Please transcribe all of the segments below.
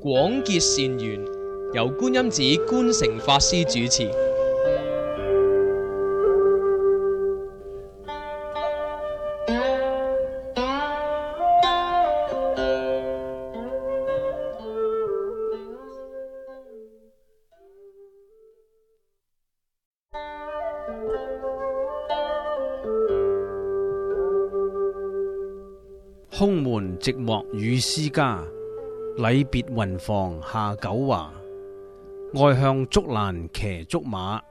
廣結善緣，由觀音寺觀誠法師主持。空門寂寞與詩家，禮別雲房下九華。外向竹欄騎竹馬，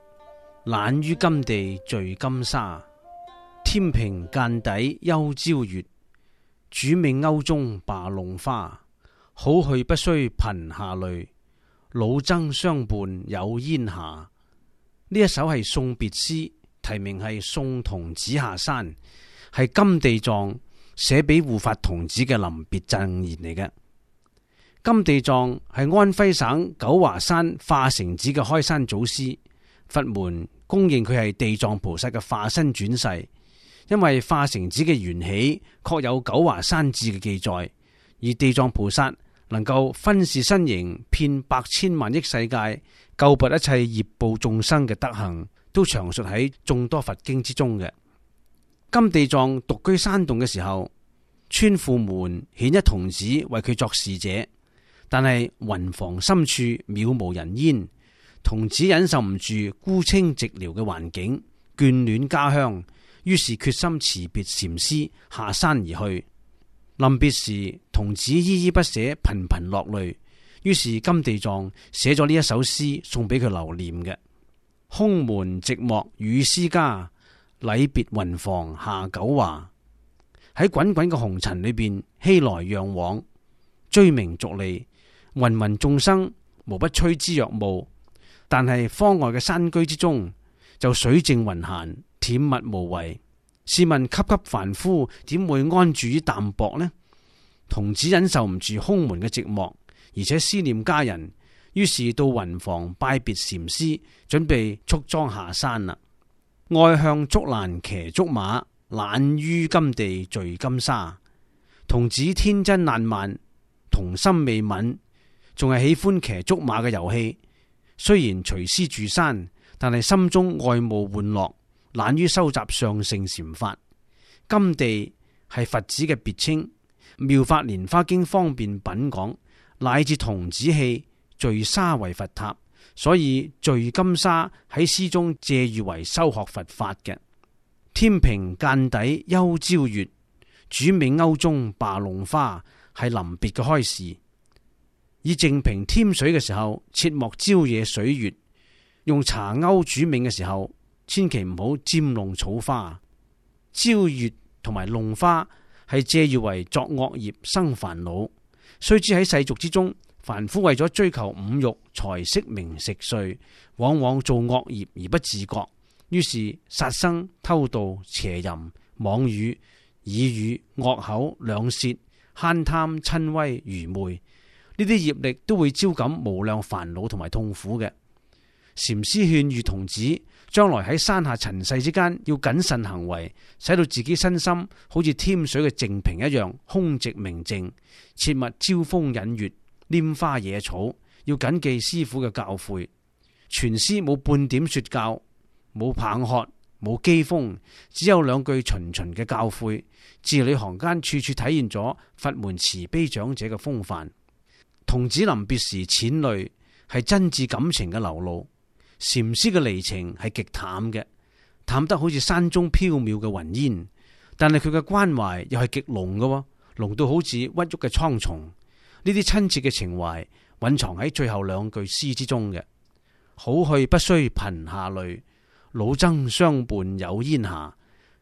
懶於金地聚金沙。天平間底休朝月，主命勾中罷弄花。好去不須頻下淚，老僧相伴有煙霞。呢一首係送別詩，題名係送童子下山，係金地藏寫俾護法童子嘅臨別贈言嚟嘅。金地藏係安徽省九華山化城寺嘅開山祖師，佛門公認佢係地藏菩薩嘅化身轉世。因為化城寺嘅緣起確有九華山志嘅記載，而地藏菩薩能夠分示身形，遍百千萬億世界，救拔一切業報眾生嘅德行，都詳述喺眾多佛經之中嘅。金地藏獨居山洞嘅時候，村婦們遣一童子為佢作侍者，但係雲房深處渺無人煙，童子忍受唔住孤清寂寥嘅環境，眷戀家鄉，於是決心辭別禪師下山而去。臨別時，童子依依不捨，頻頻落淚，於是金地藏寫咗呢一首詩送俾佢留念嘅。空門寂寞與詩家，禮別雲房下九華。喺滾滾嘅紅塵裏邊，熙來攘往，追名逐利，芸芸眾生無不趨之若鶩。但係方外嘅山居之中，就水靜雲閒，恬默無為。試問級級凡夫點會安住於淡泊呢？童子忍受唔住空門嘅寂寞，而且思念家人，於是到雲房拜別禪師，準備束裝下山啦。愛向竹欄騎竹馬，懶於金地聚金沙。童子天真爛漫，童心未泯，仲係喜歡騎竹馬嘅遊戲。雖然隨師住山，但係心中愛慕玩樂，懶於收集上乘禪法。金地係佛子嘅別稱，《妙法蓮華經》方便品講，乃至童子戲聚沙為佛塔，所以聚金沙喺詩中借喻為修學佛法嘅。天平間底休朝月，主命勾中罷弄花，係臨別嘅開示。以淨瓶添水嘅時候，切莫招惹水月；用茶勾煮茗嘅時候，千祈唔好沾弄草花。招月同埋弄花係借喻為作惡業生煩惱。須知喺世俗之中，凡夫為咗追求五欲、財色名食睡，往往做惡業而不自覺，於是殺生、偷盜、邪淫、妄語、耳語、惡口、兩舌、慳貪、瞋恚、愚昧，呢啲業力都會招感無量煩惱同埋痛苦嘅。禪師勸喻童子，將來喺山下塵世之間要謹慎行為，使到自己身心好似添水嘅淨瓶一樣空寂明淨，切勿招風引月、拈花惹草，要謹記師父嘅教誨。全詩冇半點說教，冇棒喝，冇譏諷，只有兩句循循嘅教誨，字裏行間處處體現咗佛門慈悲長者嘅風範。童子臨別時淺淚，係真摯感情嘅流露。禪師嘅離情係極淡嘅，淡得好似山中飄渺嘅雲煙，但係佢嘅關懷又係極濃嘅，濃到好似鬱鬱嘅蒼松。呢啲親切嘅情懷蘊藏喺最後兩句詩之中嘅。好去不須頻下淚，老僧相伴有煙霞。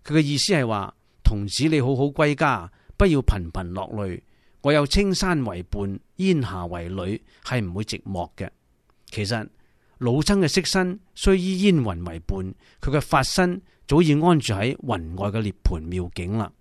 佢嘅意思係話，童子你好好歸家，不要頻頻落淚。我有青山為伴，煙霞為侶，係唔會寂寞嘅。其實老僧嘅色身雖依煙雲為伴，佢嘅法身早已安住喺雲外嘅涅槃妙境啦。